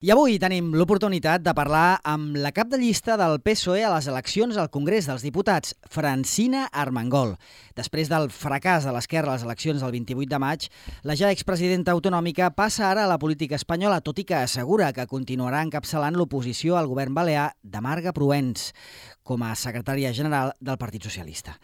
I avui tenim l'oportunitat de parlar amb la cap de llista del PSOE a les eleccions al Congrés dels Diputats, Francina Armengol. Després del fracàs de l'esquerra a les eleccions del 28 de maig, la ja expresidenta autonòmica passa ara a la política espanyola, tot i que assegura que continuarà encapçalant l'oposició al govern balear de Marga Proens com a secretària general del Partit Socialista.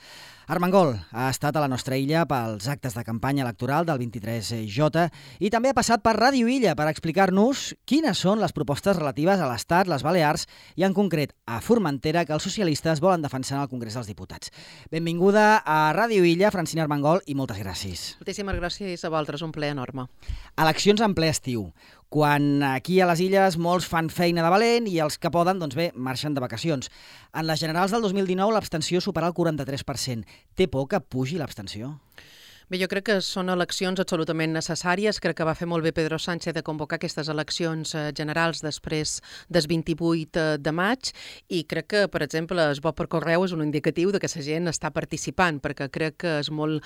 Armengol ha estat a la nostra illa pels actes de campanya electoral del 23J i també ha passat per Ràdio Illa per explicar-nos quines són les propostes relatives a l'Estat, les Balears i en concret a Formentera que els socialistes volen defensar al Congrés dels Diputats. Benvinguda a Ràdio Illa, Francina Armengol, i moltes gràcies. Moltíssimes gràcies a vosaltres, un plaer enorme. Eleccions en ple estiu, quan aquí a les illes molts fan feina de valent i els que poden, doncs bé, marxen de vacacions. En les generals del 2019 l'abstenció supera el 43%. Té por que pugi l'abstenció? Bé, jo crec que són eleccions absolutament necessàries. Crec que va fer molt bé Pedro Sánchez de convocar aquestes eleccions generals després del 28 de maig i crec que, per exemple, el vot per correu és un indicatiu de que la gent està participant, perquè crec que és molt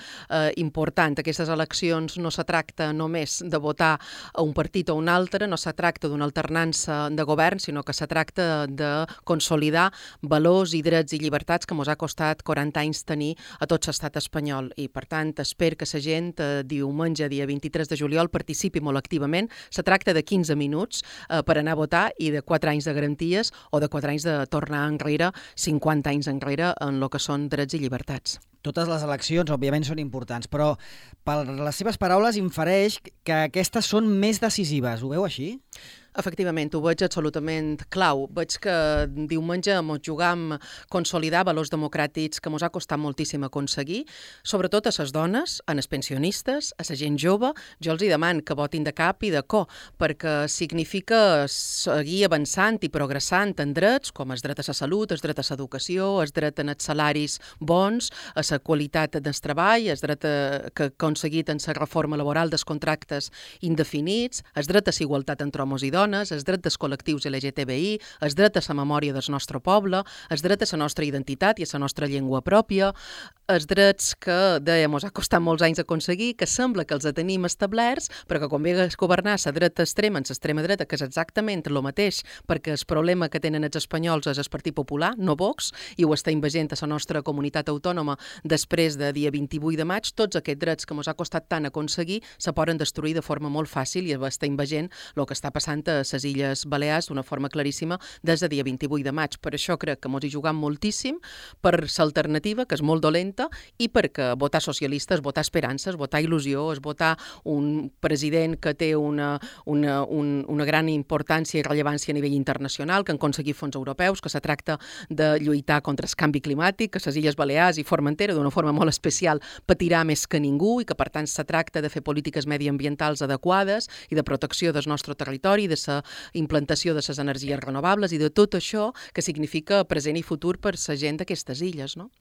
important. Aquestes eleccions no se tracta només de votar a un partit o un altre, no se tracta d'una alternança de govern, sinó que se tracta de consolidar valors i drets i llibertats que ens ha costat 40 anys tenir a tot l'estat espanyol. I, per tant, espero que la gent diumenge, dia 23 de juliol, participi molt activament. Se tracta de 15 minuts per anar a votar i de 4 anys de garanties o de 4 anys de tornar enrere, 50 anys enrere en el que són drets i llibertats. Totes les eleccions, òbviament, són importants, però per les seves paraules infereix que aquestes són més decisives. Ho veu així? Efectivament, ho veig absolutament clau. Veig que diumenge ens jugam consolidar valors democràtics que ens ha costat moltíssim aconseguir, sobretot a les dones, a les pensionistes, a la gent jove. Jo els demano que votin de cap i de cor, perquè significa seguir avançant i progressant en drets, com el dret a la salut, el dret a l'educació, el dret a els salaris bons, a la qualitat del treball, el dret que ha aconseguit en la reforma laboral dels contractes indefinits, el dret a la igualtat entre homes i dones, el dret dels col·lectius LGTBI, el dret a la memòria del nostre poble, el dret a la nostra identitat i a la nostra llengua pròpia, els drets que, dèiem, ens ha costat molts anys aconseguir, que sembla que els tenim establerts, però que quan ve a governar la dreta extrema en l'extrema dreta, que és exactament el mateix, perquè el problema que tenen els espanyols és el Partit Popular, no Vox, i ho està invagent a la nostra comunitat autònoma després de dia 28 de maig, tots aquests drets que ens ha costat tant aconseguir se poden destruir de forma molt fàcil i està invagent el que està passant a les Illes Balears d'una forma claríssima des de dia 28 de maig. Per això crec que ens hi jugam moltíssim per l'alternativa, que és molt dolenta, i perquè votar socialista és votar esperances, votar il·lusió, és votar un president que té una gran importància i rellevància a nivell internacional, que han aconseguit fons europeus, que se tracta de lluitar contra el canvi climàtic, que les Illes Balears i Formentera d'una forma molt especial patirà més que ningú i que per tant se tracta de fer polítiques mediambientals adequades i de protecció del nostre territori, de la implantació de les energies renovables i de tot això que significa present i futur per la gent d'aquestes illes, no?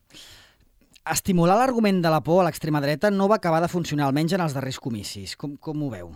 Estimular l'argument de la por a l'extrema dreta no va acabar de funcionar, almenys en els darrers comicis. Com ho veu?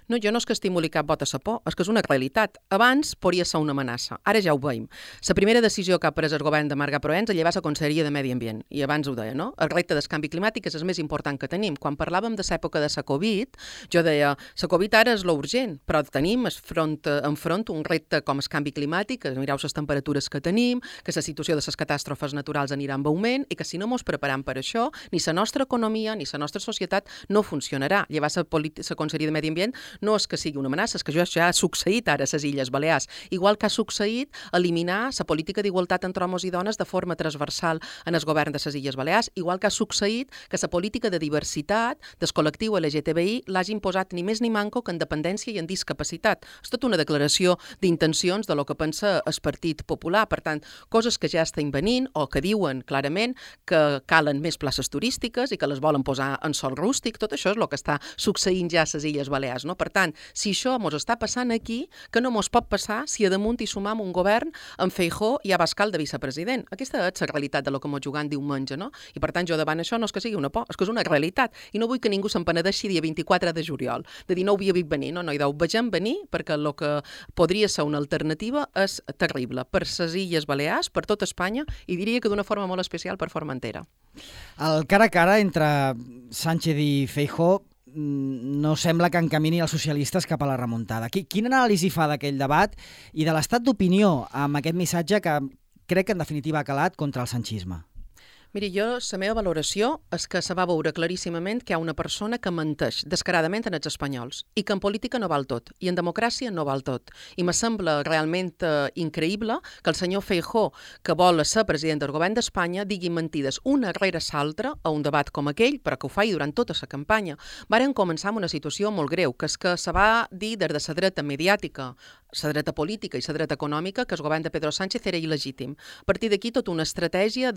No, jo no és que estimuli cap vot a la por, és que és una realitat. Abans podria ser una amenaça, ara ja ho veiem. La primera decisió que ha pres el govern de Marga Proens és llevar la Conselleria de Medi Ambient, i abans ho deia, no? El repte del canvi climàtic és el més important que tenim. Quan parlàvem de l'època de la Covid, jo deia, la Covid ara és l'urgent, però tenim enfront un repte com el canvi climàtic, que mireu les temperatures que tenim, que la situació de les catàstrofes naturals anirà en augment, i que si no ens preparem per això, ni la nostra economia ni la nostra societat no funcionarà. Llevar la Conselleria de Medi Ambient no és que sigui una amenaça, és que això ja ha succeït ara a les Illes Balears. Igual que ha succeït eliminar la política d'igualtat entre homes i dones de forma transversal en el govern de les Illes Balears, igual que ha succeït que la política de diversitat del col·lectiu LGTBI l'hagi imposat ni més ni manco que en dependència i en discapacitat. És tota una declaració d'intencions de lo que pensa el Partit Popular. Per tant, coses que ja estan venint o que diuen clarament que calen més places turístiques i que les volen posar en sòl rústic. Tot això és el que està succeint ja a les Illes Balears, no? Per tant, si això ens està passant aquí, que no ens pot passar si a damunt hi sumam un govern amb Feijóo i Abascal de vicepresident. Aquesta és la realitat de lo que ens jugant diumenge, no? I per tant, jo davant això no és que sigui una por, és que és una realitat. I no vull que ningú se'n penedeixi dia 24 de juliol, de dir no ho havia vist venir, no, ho vegem venir perquè el que podria ser una alternativa és terrible per les Illes Balears, per tot Espanya, i diria que d'una forma molt especial per Formentera. El cara a cara entre Sánchez i Feijóo no sembla que encamini els socialistes cap a la remuntada. Quina anàlisi fa d'aquell debat i de l'estat d'opinió amb aquest missatge que crec que en definitiva ha calat contra el sanchisme? Miri, jo, la meva valoració és que se va veure claríssimament que hi ha una persona que menteix descaradament en els espanyols i que en política no val tot i en democràcia no val tot. I me sembla realment increïble que el senyor Feijóo, que vol ser president del govern d'Espanya, digui mentides una rere l'altra a un debat com aquell, però que ho faci durant tota la campanya. Varen començar amb una situació molt greu, que és que se va dir des de la dreta mediàtica, la dreta política i la dreta econòmica que el govern de Pedro Sánchez era il·legítim. A partir d'aquí tota una estratègia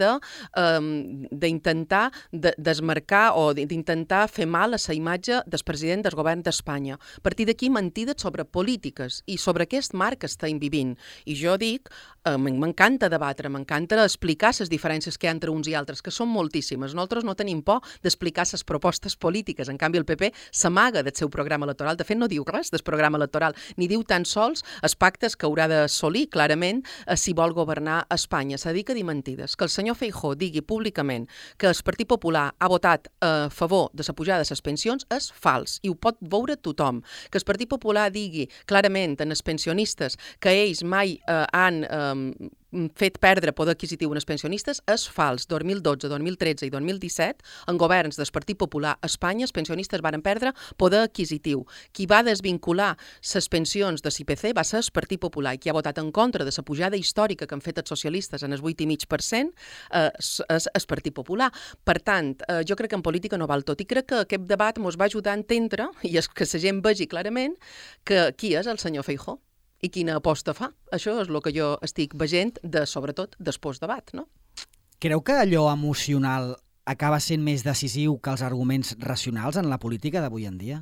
d'intentar desmarcar o d'intentar fer mal a la imatge del president del govern d'Espanya. A partir d'aquí mentides sobre polítiques i sobre aquest marc que estem vivint. I jo dic, m'encanta debatre, m'encanta explicar les diferències que hi ha entre uns i altres, que són moltíssimes. Nosaltres no tenim por d'explicar les propostes polítiques. En canvi, el PP s'amaga del seu programa electoral. De fet, no diu res del programa electoral, ni diu tan sols els pactes que haurà d'assolir clarament si vol governar Espanya. Se dedica a dir mentides. Que el senyor Feijóo digui públicament que el Partit Popular ha votat a favor de la pujada de les pensions és fals i ho pot veure tothom. Que el Partit Popular digui clarament en els pensionistes que ells mai han fet perdre poder adquisitiu als pensionistes és fals. 2012, 2013 i 2017, en governs del Partit Popular a Espanya, els pensionistes van perdre poder adquisitiu. Qui va desvincular les pensions de l'IPC va ser el Partit Popular i qui ha votat en contra de la pujada històrica que han fet els socialistes en el 8,5% és el Partit Popular. Per tant, jo crec que en política no val tot i crec que aquest debat ens va ajudar a entendre i que la gent vegi clarament que qui és el senyor Feijóo i quina aposta fa. Això és el que jo estic veient, sobretot, després debat, no? Creu que allò emocional acaba sent més decisiu que els arguments racionals en la política d'avui en dia?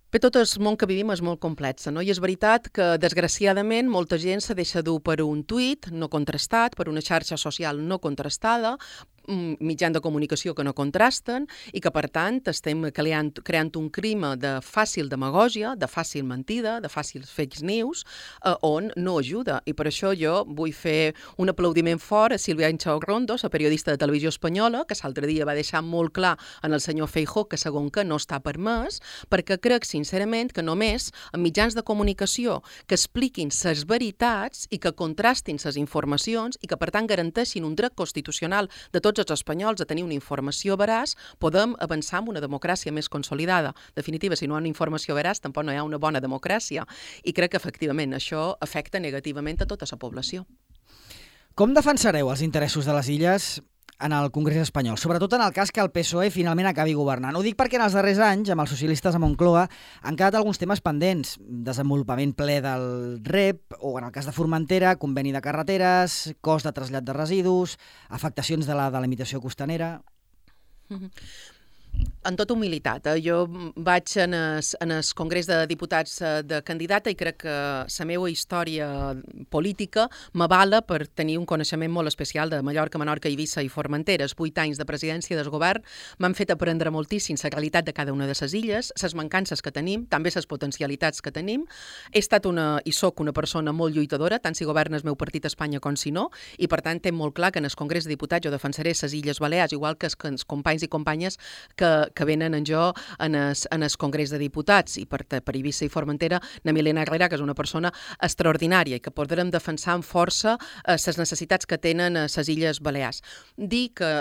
Bé, tot el món que vivim és molt complex, no? I és veritat que, desgraciadament, molta gent se deixa dur per un tuit no contrastat, per una xarxa social no contrastada, mitjans de comunicació que no contrasten i que, per tant, estem creant un clima de fàcil demagògia, de fàcil mentida, de fàcil fake news, on no ajuda. I per això jo vull fer un aplaudiment fort a Sílvia Inchaurrondo, la periodista de Televisió Espanyola, que l'altre dia va deixar molt clar en el senyor Feijóo que, segons que no està permès, perquè crec, sincerament, que només en mitjans de comunicació que expliquin les veritats i que contrastin les informacions i que, per tant, garanteixin un dret constitucional de tots els espanyols a tenir una informació veraç, podem avançar en una democràcia més consolidada. En definitiva, si no hi ha una informació veraç, tampoc no hi ha una bona democràcia. I crec que, efectivament, això afecta negativament a tota la població. Com defensareu els interessos de les illes en el Congrés espanyol, sobretot en el cas que el PSOE finalment acabi governant? Ho dic perquè en els darrers anys, amb els socialistes a Moncloa, han quedat alguns temes pendents. Desenvolupament ple del REP, o en el cas de Formentera, conveni de carreteres, cost de trasllat de residus, afectacions de la delimitació costanera... En tota humilitat, jo vaig en el Congrés de Diputats de candidata i crec que la meva història política m'avala per tenir un coneixement molt especial de Mallorca, Menorca, Eivissa i Formentera. Els 8 anys de presidència del govern m'han fet aprendre moltíssim la realitat de cada una de les illes, les mancances que tenim, també les potencialitats que tenim. He estat i soc una persona molt lluitadora, tant si governa el meu partit a Espanya com si no, i per tant tinc molt clar que en el Congrés de Diputats jo defensaré les Illes Balears, igual que els companys i companyes que venen en jo en el Congrés de Diputats. I per Eivissa i Formentera, na Milena Herrera, que és una persona extraordinària i que podrem defensar amb força les necessitats que tenen les Illes Balears. Dir que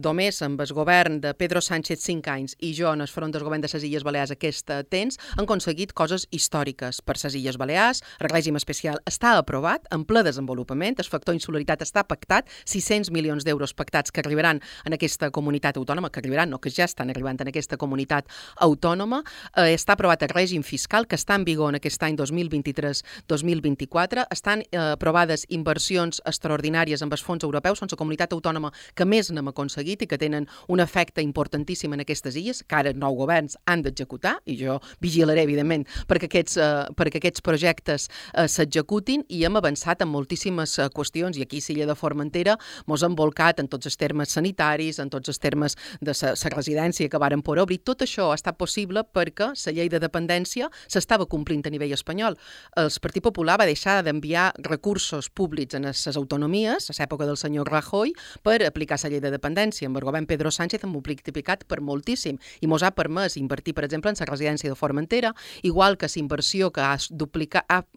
només amb el govern de Pedro Sánchez 5 anys i jo en el front del govern de les Illes Balears aquest temps han aconseguit coses històriques per les Illes Balears. El règim especial està aprovat, en ple desenvolupament, el factor insularitat està pactat, 600 milions d'euros pactats que arribaran en aquesta comunitat autònoma, que arribaran, no, que ja estan arribant en aquesta comunitat autònoma. Està aprovat el règim fiscal que està en vigor en aquest any 2023-2024. Estan aprovades inversions extraordinàries amb els fons europeus. Són la comunitat autònoma que més n'hem aconseguit i que tenen un efecte importantíssim en aquestes illes, que ara nous governs han d'executar, i jo vigilaré, evidentment, perquè aquests projectes s'executin, i hem avançat en moltíssimes qüestions, i aquí l'illa de Formentera mos hem volcat en tots els termes sanitaris, en tots els termes de la residència residència que varen poder obrir. Tot això ha estat possible perquè la llei de dependència s'estava complint a nivell espanyol. El Partit Popular va deixar d'enviar recursos públics a les autonomies, a l'època del senyor Rajoy, per aplicar la llei de dependència. Amb el govern Pedro Sánchez hem multiplicat per moltíssim i mos ha permès invertir, per exemple, en la residència de Formentera, igual que la inversió que ha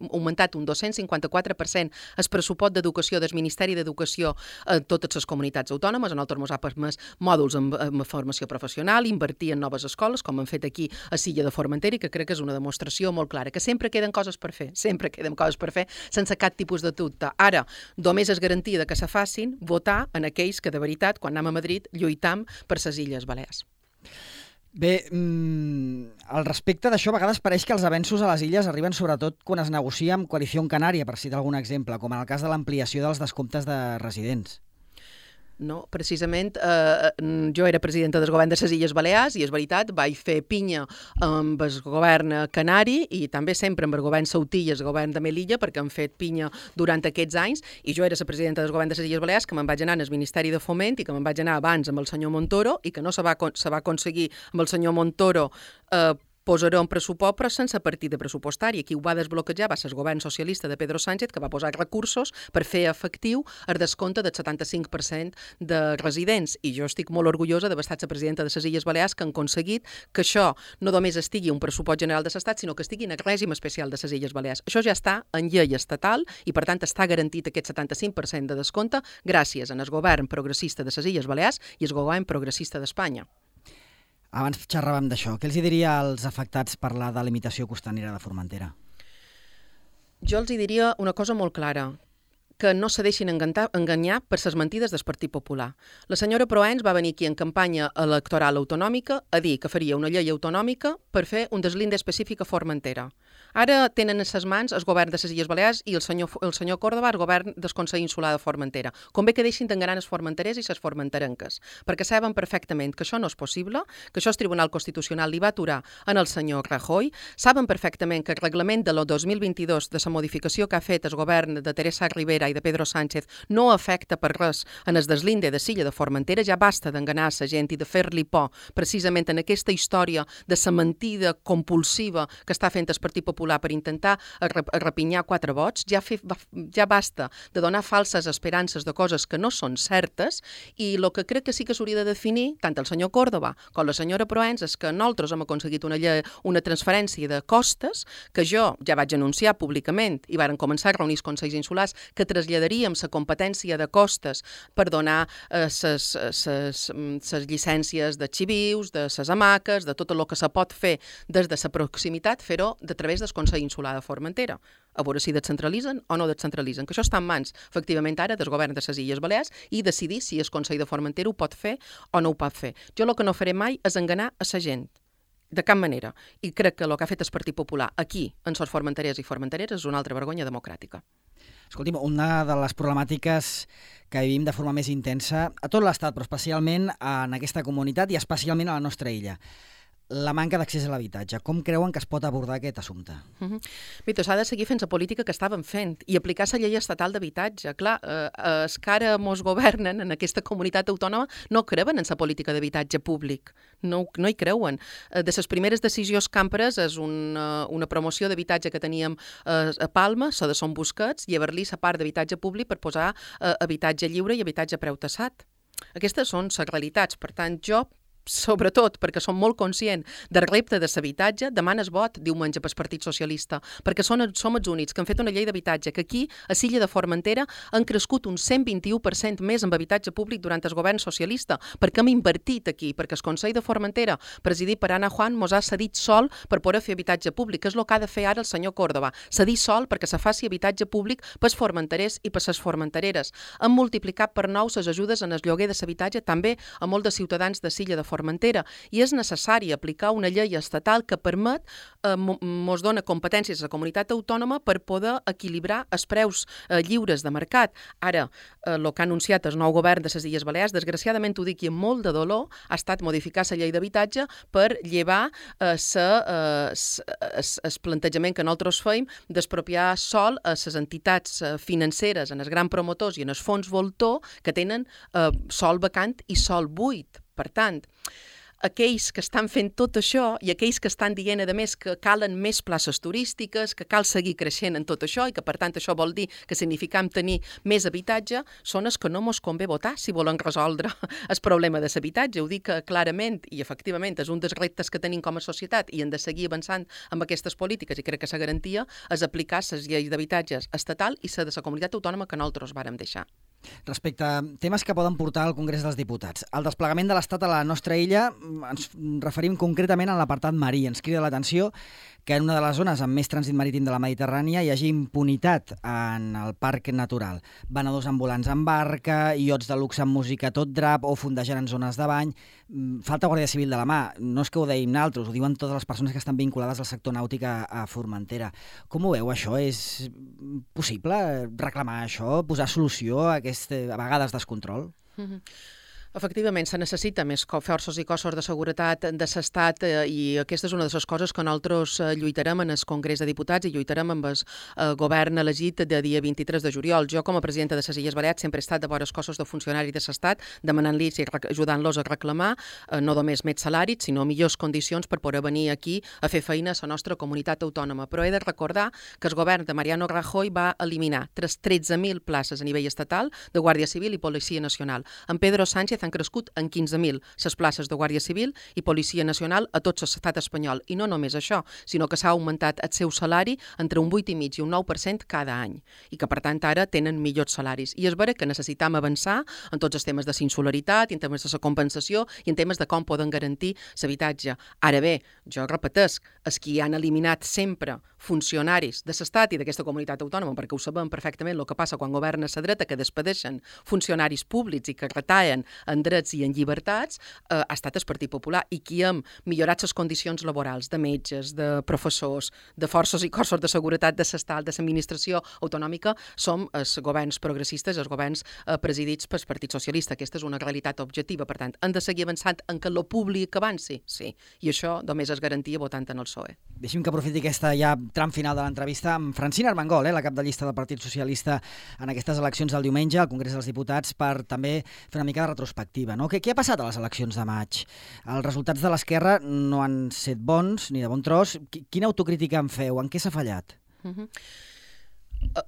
augmentat un 254% el pressupost d'educació del Ministeri d'Educació a totes les comunitats autònomes. A nosaltres ens ha permès mòduls en formació professional, invertir en noves escoles, com hem fet aquí a Silla de Formentera, i que crec que és una demostració molt clara, que sempre queden coses per fer, sense cap tipus de dubte. Ara, només és garantia que se facin votar en aquells que de veritat, quan anem a Madrid, lluitam per les Illes Balears. Bé, al respecte d'això, a vegades pareix que els avenços a les illes arriben sobretot quan es negocia amb Coalició Canària, per citar algun exemple, com en el cas de l'ampliació dels descomptes de residents. No, precisament jo era presidenta del govern de les Illes Balears i és veritat, vaig fer pinya amb el govern canari i també sempre amb el govern sautí i el govern de Melilla, perquè han fet pinya durant aquests anys, i jo era la presidenta del govern de les Illes Balears, que me'n vaig anar al Ministeri de Foment i que me'n vaig anar abans amb el senyor Montoro i que no se va aconseguir amb el senyor Montoro posar un pressupost, però sense partida pressupostària. Qui ho va desbloquejar va ser el govern socialista de Pedro Sánchez, que va posar recursos per fer efectiu el descompte del 75% de residents. I jo estic molt orgullosa d'haver estat la presidenta de les Illes Balears que han aconseguit que això no només estigui un pressupost general de l'Estat, sinó que estigui en el règim especial de les Illes Balears. Això ja està en llei estatal i, per tant, està garantit aquest 75% de descompte gràcies al govern progressista de les Illes Balears i al govern progressista d'Espanya. Abans xerràvem d'això. Què els diria als afectats per la delimitació costanera de Formentera? Jo els diria una cosa molt clara, que no se deixin enganyar per les mentides del Partit Popular. La senyora Proens va venir aquí en campanya electoral autonòmica a dir que faria una llei autonòmica per fer un deslinde específic a Formentera. Ara tenen en ses mans el govern de les Illes Balears i el senyor Córdoba, el govern del Consell Insular de Formentera. Convé que deixin d'enganyar els formenterers i les formenterenques, perquè saben perfectament que això no és possible, que això el Tribunal Constitucional li va aturar en el senyor Rajoy, saben perfectament que el reglament de l'any 2022 de la modificació que ha fet el govern de Teresa Rivera i de Pedro Sánchez no afecta per res en el deslinde de Silla de Formentera. Ja basta d'enganyar la gent i de fer-li por precisament en aquesta història de la mentida compulsiva que està fent el Partit Popular per intentar arrepinyar 4 vots. Ja basta de donar falses esperances de coses que no són certes, i el que crec que sí que s'hauria de definir, tant el senyor Córdoba com la senyora Proens, és que nosaltres hem aconseguit una transferència de costes que jo ja vaig anunciar públicament i varen començar a reunir els Consells Insulars, que traslladaríem la competència de costes per donar les llicències de xivius, de les hamaques, de tot el que se pot fer des de la proximitat, fer-ho a través del Consell Insular de Formentera, a veure si descentralitzen o no descentralitzen, que això està en mans, efectivament, ara del govern de les Illes Balears i decidir si el Consell de Formentera ho pot fer o no ho pot fer. Jo el que no faré mai és enganyar a la gent, de cap manera, i crec que el que ha fet el Partit Popular aquí, en sos formenterers i formenteres, és una altra vergonya democràtica. Escolti'm, una de les problemàtiques que vivim de forma més intensa a tot l'Estat, però especialment en aquesta comunitat i especialment a la nostra illa, la manca d'accés a l'habitatge. Com creuen que es pot abordar aquest assumpte? Mira, s'ha de seguir fent la política que estàvem fent i aplicar la llei estatal d'habitatge. Clar, els que ara mos governen en aquesta comunitat autònoma no creuen en la política d'habitatge públic. No hi creuen. De les primeres decisions que han pres és una promoció d'habitatge que teníem a Palma, la de Son Busquets, llevar-li la part d'habitatge públic per posar habitatge lliure i habitatge a preu tassat. Aquestes són les realitats. Per tant, jo, sobretot perquè som molt conscients del repte de l'habitatge, demana el vot diumenge pel Partit Socialista, perquè som els únics que han fet una llei d'habitatge que aquí, a Silla de Formentera, han crescut un 121% més en habitatge públic durant el govern socialista, perquè hem invertit aquí, perquè el Consell de Formentera, presidit per Ana Juan, mos ha cedit sol per poder fer habitatge públic, que és el que ha de fer ara el senyor Córdoba, cedir sol perquè se faci habitatge públic pels formenterers i per les formentereres. Hem multiplicat per 9 les ajudes en el lloguer de l'habitatge també a molts de ciutadans de Silla de Formentera, i és necessari aplicar una llei estatal que permet, mos dona competències a la comunitat autònoma per poder equilibrar els preus lliures de mercat. Ara, el que ha anunciat el nou govern de les Illes Balears, desgraciadament ho dic i amb molt de dolor, ha estat modificar la llei d'habitatge per llevar el plantejament que nosaltres feim d'expropiar sol a les entitats financeres, en els grans promotors i en els fons voltor que tenen sol vacant i sol buit. Per tant, aquells que estan fent tot això i aquells que estan dient, a més, que calen més places turístiques, que cal seguir creixent en tot això i que, per tant, això vol dir que significam tenir més habitatge, són els que no mos convé votar si volen resoldre el problema de l'habitatge. Ho dic clarament i efectivament és un dels reptes que tenim com a societat i hem de seguir avançant amb aquestes polítiques i crec que la garantia és aplicar les lleis d'habitatges estatal i la de la comunitat autònoma que nosaltres vàrem deixar. Respecte a temes que poden portar al Congrés dels Diputats, el desplegament de l'Estat a la nostra illa, ens referim concretament a l'apartat marí. Ens crida l'atenció que en una de les zones amb més trànsit marítim de la Mediterrània hi hagi impunitat en el parc natural. Venedors ambulants en barca, iots de luxe amb música a tot drap o fondejant en zones de bany. Falta Guàrdia Civil de la mà. No és que ho deim nosaltres, ho diuen totes les persones que estan vinculades al sector nàutic a Formentera. Com ho veu, això? És possible reclamar això, posar solució a aquest, a vegades, descontrol? Efectivament, se necessita més forces i cossos de seguretat de l'Estat i aquesta és una de les coses que nosaltres lluitarem en el Congrés de Diputats i lluitarem amb el govern elegit de dia 23 de juliol. Jo, com a presidenta de les Illes Balears, sempre he estat de vora els cossos de funcionaris de l'Estat, demanant-los i ajudant-los a reclamar no només més salaris, sinó millors condicions per poder venir aquí a fer feina a la nostra comunitat autònoma. Però he de recordar que el govern de Mariano Rajoy va eliminar 13.000 places a nivell estatal de Guàrdia Civil i Policia Nacional. En Pedro Sánchez han crescut en 15.000 les places de Guàrdia Civil i Policia Nacional a tot l'estat espanyol. I no només això, sinó que s'ha augmentat el seu salari entre un 8,5% i un 9% cada any i que, per tant, ara tenen millors salaris. I és vera que necessitam avançar en tots els temes de insularitat, en temes de la compensació i en temes de com poden garantir l'habitatge. Ara bé, jo repetesc, els qui han eliminat sempre funcionaris de l'Estat i d'aquesta comunitat autònoma, perquè ho sabem perfectament el que passa quan governa la dreta, que despedeixen funcionaris públics i que retallen en drets i en llibertats, ha estat el Partit Popular i qui hem millorat les condicions laborals de metges, de professors, de forces i cossos de seguretat de l'Estat, de l'administració autonòmica, som els governs progressistes, els governs presidits pel Partit Socialista. Aquesta és una realitat objectiva. Per tant, hem de seguir avançant en que lo públic avanci? Sí. I això només es garantia votant en el PSOE. Deixi'm que aprofiti aquesta ja tram final de l'entrevista amb Francina Armengol, la cap de llista del Partit Socialista en aquestes eleccions del diumenge al Congrés dels Diputats, per també fer una mica de retrospectiva. No? Què ha passat a les eleccions de maig? Els resultats de l'esquerra no han set bons, ni de bon tros. Quina autocrítica en feu? En què s'ha fallat?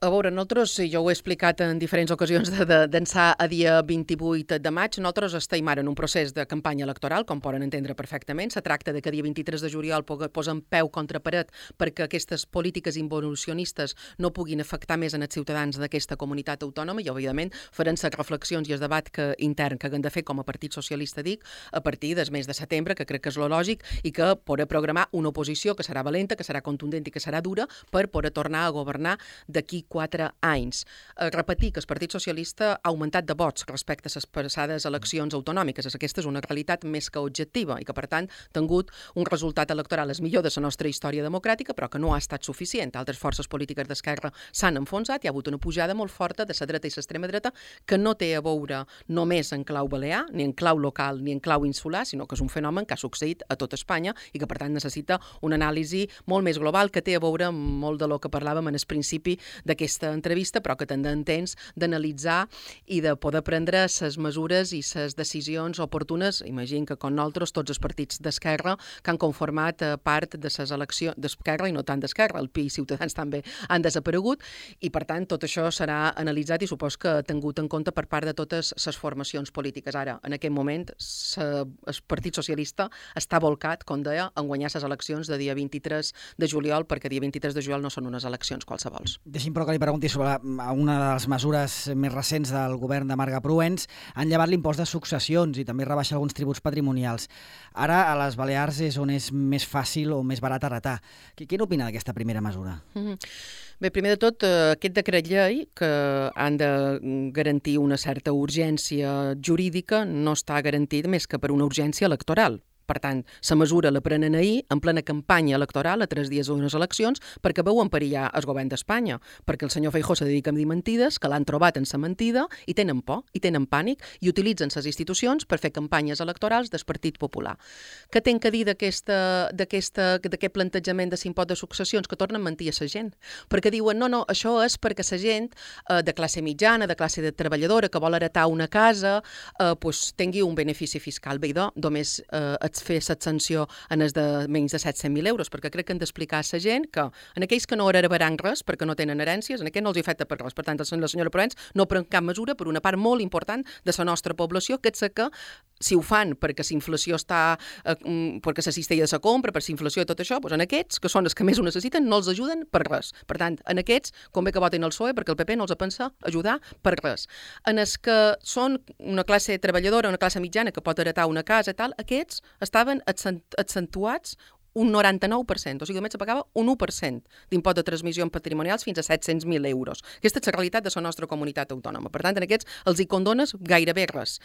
A veure, nosaltres, i jo ho he explicat en diferents ocasions d'ençà a dia 28 de maig, nosaltres estem ara en un procés de campanya electoral, com poden entendre perfectament. Se tracta de que dia 23 de juliol posem peu contra paret perquè aquestes polítiques involucionistes no puguin afectar més en els ciutadans d'aquesta comunitat autònoma i, òbviament, farem les reflexions i el debat intern que haguem de fer com a Partit Socialista, dic, a partir del mes de setembre, que crec que és lo lògic, i que poder programar una oposició que serà valenta, que serà contundent i que serà dura per poder tornar a governar d'aquí 4 anys. Repetir que el Partit Socialista ha augmentat de vots respecte a les passades eleccions autonòmiques. Aquesta és una realitat més que objectiva i que, per tant, ha tingut un resultat electoral el millor de la nostra història democràtica, però que no ha estat suficient. Altres forces polítiques d'esquerra s'han enfonsat, hi ha hagut una pujada molt forta de la dreta i l'extrema dreta que no té a veure només en clau balear, ni en clau local, ni en clau insular, sinó que és un fenomen que ha succeït a tot Espanya i que, per tant, necessita una anàlisi molt més global que té a veure amb molt de lo que parlàvem en el principi d'aquesta entrevista, però que tindrà temps d'analitzar i de poder prendre les mesures i les decisions oportunes. Imagino que, com nosaltres, tots els partits d'esquerra que han conformat part de les eleccions d'esquerra i no tant d'esquerra, el PI i Ciutadans també han desaparegut i, per tant, tot això serà analitzat i supos que ha tingut en compte per part de totes les formacions polítiques. Ara, en aquest moment, el Partit Socialista està volcat, com deia, en guanyar les eleccions de dia 23 de juliol, perquè dia 23 de juliol no són unes eleccions qualsevols. Deixi'm però que li pregunti sobre una de les mesures més recents del govern de Marga Proens. Han llevat l'impost de successions i també rebaixa alguns tributs patrimonials. Ara a les Balears és on és més fàcil o més barat heretar. Què n'opina d'aquesta primera mesura? Bé, primer de tot, aquest decret llei, que han de garantir una certa urgència jurídica, no està garantit més que per una urgència electoral. Per tant, la mesura la prenen ahir, en plena campanya electoral, a 3 dies d'unes eleccions, perquè veuen perillar el govern d'Espanya, perquè el senyor Feijóo se dedica a dir mentides, que l'han trobat en la mentida, i tenen por, i tenen pànic, i utilitzen les institucions per fer campanyes electorals del Partit Popular. Què ten que dir d'aquest plantejament de l'impost de successions? Que tornen a mentir a la gent. Perquè diuen, no, això és perquè la gent de classe mitjana, de classe treballadora, que vol heretar una casa, tingui un benefici fiscal. Bé, només fer l'extensió en els de menys de 700.000 euros, perquè crec que hem d'explicar a la gent que en aquells que no heretaran res perquè no tenen herències, en aquells no els afecta per res. Per tant, la senyora Provenç no pren cap mesura per una part molt important de la nostra població, que és que si ho fan perquè la inflació està, perquè la cistella de la compra, per la inflació i tot això, doncs en aquests, que són els que més ho necessiten, no els ajuden per res. Per tant, en aquests, convé que votin el PSOE, perquè el PP no els pensa ajudar per res. En els que són una classe treballadora, una classe mitjana que pot heretar una casa i tal, aquests estaven accentuats un 99%, o sigui, només se pagava un 1% d'impost de transmissions patrimonials fins a 700.000 euros. Aquesta és la realitat de la nostra comunitat autònoma. Per tant, en aquests els hi condones gairebé res.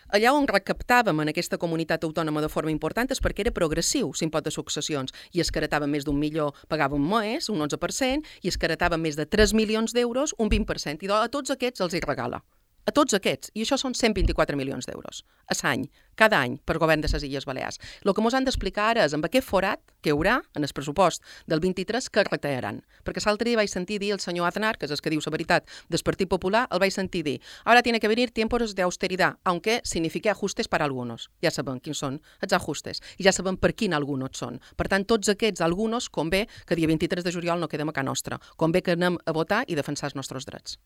Allà on recaptàvem en aquesta comunitat autònoma de forma important és perquè era progressiu l'impost de successions, i els que heretàvem més d'1 milió pagaven més, un 11%, i els que heretàvem més de 3 milions d'euros, un 20%. I a tots aquests els hi regala. A tots aquests, i això són 124 milions d'euros a l'any, cada any, per govern de les Illes Balears. El que ens han d'explicar ara és amb aquest forat que hi haurà en el pressupost del 23 que retallaran. Perquè l'altre dia vaig sentir dir el senyor Aznar, que és el que diu la veritat del Partit Popular, el vaig sentir dir: ara tiene que venir tiempos de austeridad, aunque signifique ajustes para algunos. Ja sabem quins són els ajustes, i ja sabem per quin algunos són. Per tant, tots aquests algunos convé que dia 23 de juliol no quedem a casa nostra. Convé que anem a votar i defensar els nostres drets.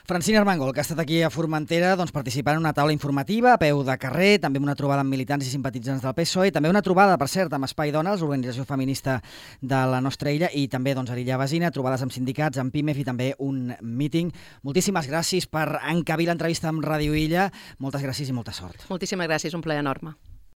Francina Armengol, que ha estat aquí a Formentera, doncs, participant en una taula informativa a peu de carrer, també una trobada amb militants i simpatitzants del PSOE, i també una trobada, per cert, amb Espai Dones, l'organització feminista de la nostra illa, i també doncs, a l'illa vecina, trobades amb sindicats, amb PIMEF i també un míting. Moltíssimes gràcies per encabir l'entrevista amb Ràdio Illa. Moltes gràcies i molta sort. Moltíssimes gràcies, un plaer enorme.